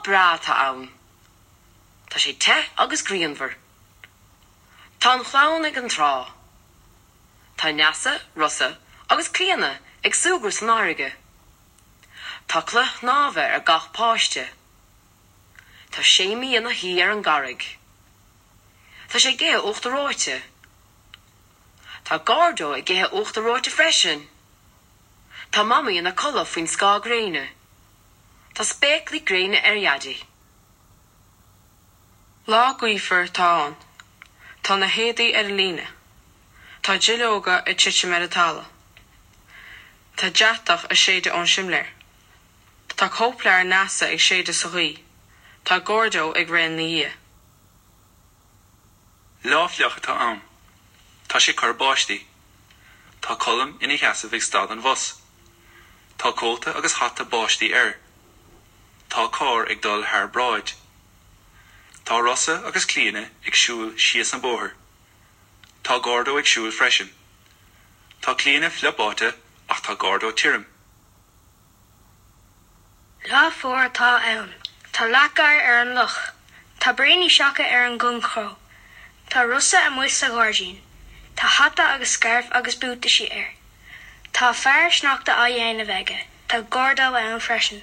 breá atá ann. Tá sé te agus grianmhar. Tá an chlann ag an trá. Tá Neasa, Rosa agus Clíona ag súgradh san fharraige. Tá culaith shnámha ar gach páiste. Tá Séimí ina shuí ar an gcarraig. Tá sé ag ithe uachtar reoite. Tá Gordo ag ithe uachtar reoite freisin. Tá Mamaí ina codladh faoin scáth gréine. Tá spéaclaí gréine ar Dhaidí. Lá gaofar atá ann. Tá na héadaí ar an líne. Tá duilleoga ag titim ar an talamh. Tá deatach ag séideadh ón simléar. Tá cóipleabhar Neasa ag séideadh sa ghaoth. Tá Gordo ag rith ina dhiaidh. Lá fliuch atá ann. Tá sé ag cur báistí. Tá Colm ina sheasamh ag stad an bhus. Tá cóta agus hata báistí air. Tá carr ag dul thar bráid. Tá Rosa agus Clíona ag siúl síos an bóthar. Tá Gordo ag siúl freisin. Tá Clíona fliuch báite ach tá Gordo tirim. Lá fuar atá ann. Tá leac oighir ar an loch. Tá braoiní seaca ar an gcornchró. Tá Rosa amuigh sa ghairdín. Tá hata agus scairf agus buataisí air. Tá fear sneachta á dhéanamh aige. Tá Gordo ann freisin.